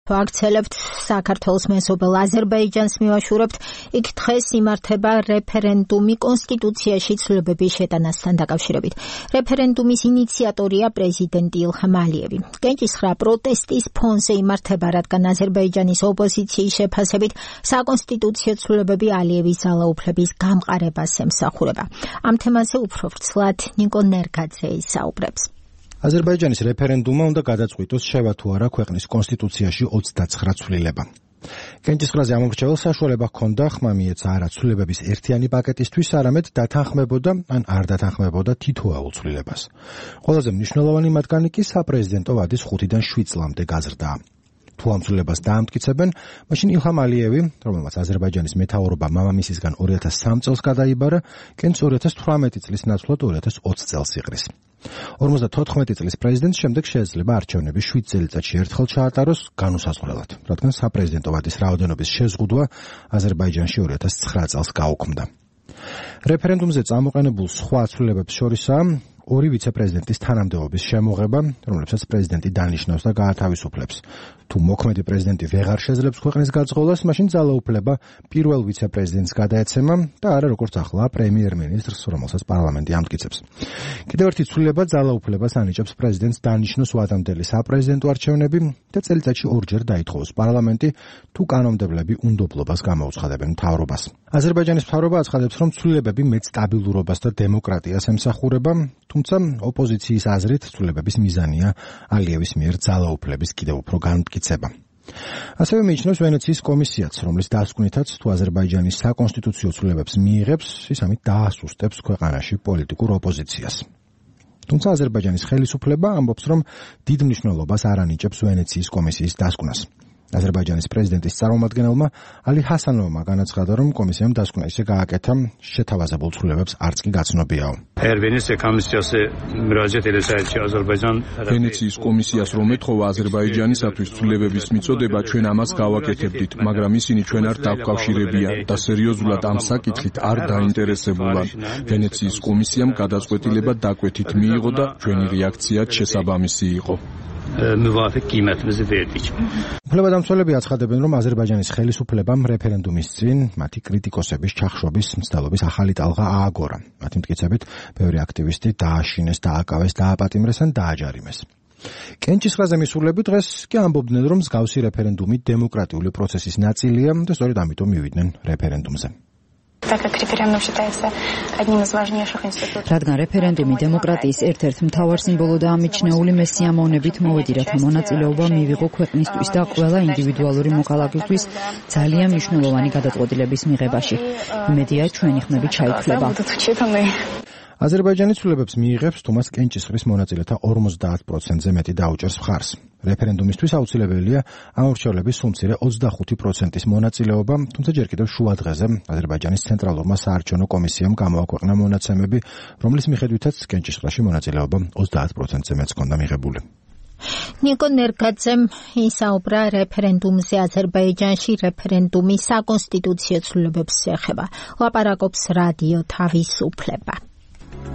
ვაქცელებთ საქართველოს მეზობელ აზერბაიჯანს მივაშურებთ, იქ დღეს იმართება რეფერენდუმი კონსტიტუციაში ცვლილებების შეტანასთან დაკავშირებით. რეფერენდუმის ინიციატორია პრეზიდენტი ილჰამ ალიევი. კენჭისხრა პროტესტის ფონზე იმართება, რადგან აზერბაიჯანის ოპოზიციის შეფასებით საკონსტიტუციო ცვლილებები ალიევის ძალაუფლების გამყარებას ემსახურება. ამ თემაზე უფრო ვრცლად ნიკო ნერგაძე ისაუბრებს. აზერბაიჯანის რეფერენდუმმა უნდა გადაწყვიტოს შევა თუ არა ქვეყნის კონსტიტუციაში 29 ცვლილება. კენჭისყრაზე ამორჩეველს საშუალება ჰქონდა ხმა მიეცა არა ცვლილებების ერთიანი პაკეტისთვის, არამედ დათანხმებოდა ან არ დათანხმებოდა თითოეულ ცვლილებას. ყველაზე მნიშვნელოვანი მათგანი კი საპრეზიდენტო ვადის 5-დან 7 წლამდე გაზრდაა. თუ ამ ცვლილებას დაამტკიცებენ, მაშინ ილჰამ ალიევი, რომელმაც აზერბაიჯანის მეთაურობა მამამისისგან 2003 წელს გადაიბარა, კენჭს 2018 წლის ნაცვლად 2020 წელს იყრის. 54 წლის პრეზიდენტს შემდეგ შეიძლება არჩევნები 7 წელიწადში ერთხელ ჩაატაროს განუსაზღვრელად, რადგან საპრეზიდენტო ვადის რაოდენობის შეზღუდვა აზერბაიჯანში 2009 წელს გაუქმდა. რეფერენდუმზე წამოყენებულ სხვა ცვლილებებს შორისაა ორი ვიცე-პრეზიდენტის თანამდებობის შემოღება, რომლებსაც პრეზიდენტი დანიშნავს და გაათავისუფლებს. თუ მოქმედი პრეზიდენტი ვეღარ შეძლებს ქვეყნის გაძღოლას, მაშინ ძალაუფლება პირველ ვიცე-პრეზიდენტს გადაეცემა და არა როგორც ახლა პრემიერ-მინისტრს, რომელსაც პარლამენტი ამტკიცებს. კიდევ ერთი ცვლილება ძალაუფლებას ანიჭებს პრეზიდენტს დანიშნოს ვადამდელი საპრეზიდენტო არჩევნები და წელიწადში ორჯერ დაითხოვოს პარლამენტი, თუ კანონმდებლები უნდობლობას გამოუცხადებენ მთავრობას. აზერბაიჯანის მთავრობა აცხადებს, რომ ცვლილებები მეტ სტაბილურობას და დემოკრატიას ემსახურება, თუმცა ოპოზიციის აზრით ცვლილებების მიზანია ალიევის მიერ ძალაუფლების კიდევ უფრო განმტკიცება. ასევე მიიჩნევს ვენეციის კომისიაც, რომლის დასკვნითაც თუ აზერბაიჯანის საკონსტიტუციო ცვლილებებს მიიღებს, ის ამით დაასუსტებს ქვეყანაში პოლიტიკურ ოპოზიციას. თუმცა აზერბაიჯანის ხელისუფლება ამბობს, რომ დიდ მნიშვნელობას არ ანიჭებს ვენეციის კომისიის დასკვნას. აზერბაიჯანის პრეზიდენტის წარმომადგენელმა ალი ჰასანოვმა განაცხადა, რომ კომისიამ დასკვნა ისე გააკეთა, შეთავაზებულ ცვლილებებს არც კი გაცნობიაო. ვენეციის კომისიას რომ ეთხოვა აზერბაიჯანისათვის ცვლილებების მიწოდება, ჩვენ ამას გავაკეთებდით, მაგრამ ისინი ჩვენ არ დაკავშირებიან და სერიოზულად ამ საკითხით არ დაინტერესებულან. ვენეციის კომისიამ გადაწყვეტილება დაკვეთით მიიღო და ჩვენი რეაქციაც შესაბამისი იყო. უფლებადამცველები აცხადებენ, რომ აზერბაიჯანის ხელისუფლებამ რეფერენდუმის წინ მათი კრიტიკოსების ჩახშობის მცდელობის ახალი ტალღა ააგორა. მათი მტკიცებით, ბევრი აქტივისტი დააშინეს, დააკავეს, დააპატიმრეს ან დააჯარიმეს. კენჭისყრაზე მისულები დღეს კი ამბობდნენ, რომ მსგავსი რეფერენდუმი დემოკრატიული პროცესის ნაწილია და სწორედ ამიტომ მივიდნენ რეფერენდუმზე. რადგან რეფერენდუმი დემოკრატიის ერთ-ერთ მთავარ სიმბოლოდაა მიჩნეული, მე სიამოვნებით მოვედი, რათა მონაწილეობა მივიღო ქვეყნისთვის და ყველა ინდივიდუალური მოქალაქისთვის ძალიან მნიშვნელოვანი გადაწყვეტილების მიღებაში. იმედია, ჩვენი ხმები ჩაითვლება. აზერბაიჯანი ცვლილებებს მიიღებს, თუ მას კენჭისყრის მონაწილეთა 50%-ზე მეტი დაუჭერს მხარს. რეფერენდუმისთვის აუცილებელია ამორჩევლების სულ მცირე 25%-ის მონაწილეობა, თუმცა ჯერ კიდევ შუა დღეზე აზერბაიჯანის ცენტრალურმა საარჩევნო კომისიამ გამოაქვეყნა მონაცემები, რომლის მიხედვითაც კენჭისყრაში მონაწილეობა 30%-ზე მეც ჰქონდა მიღებული. ნიკო ნერგაძემ ისაუბრა რეფერენდუმზე აზერბაიჯანში რეფერენდუმის საკონსტიტუციო ცვლილებებს ეხება. ლაპარაკობს რადიო თავისუფლება.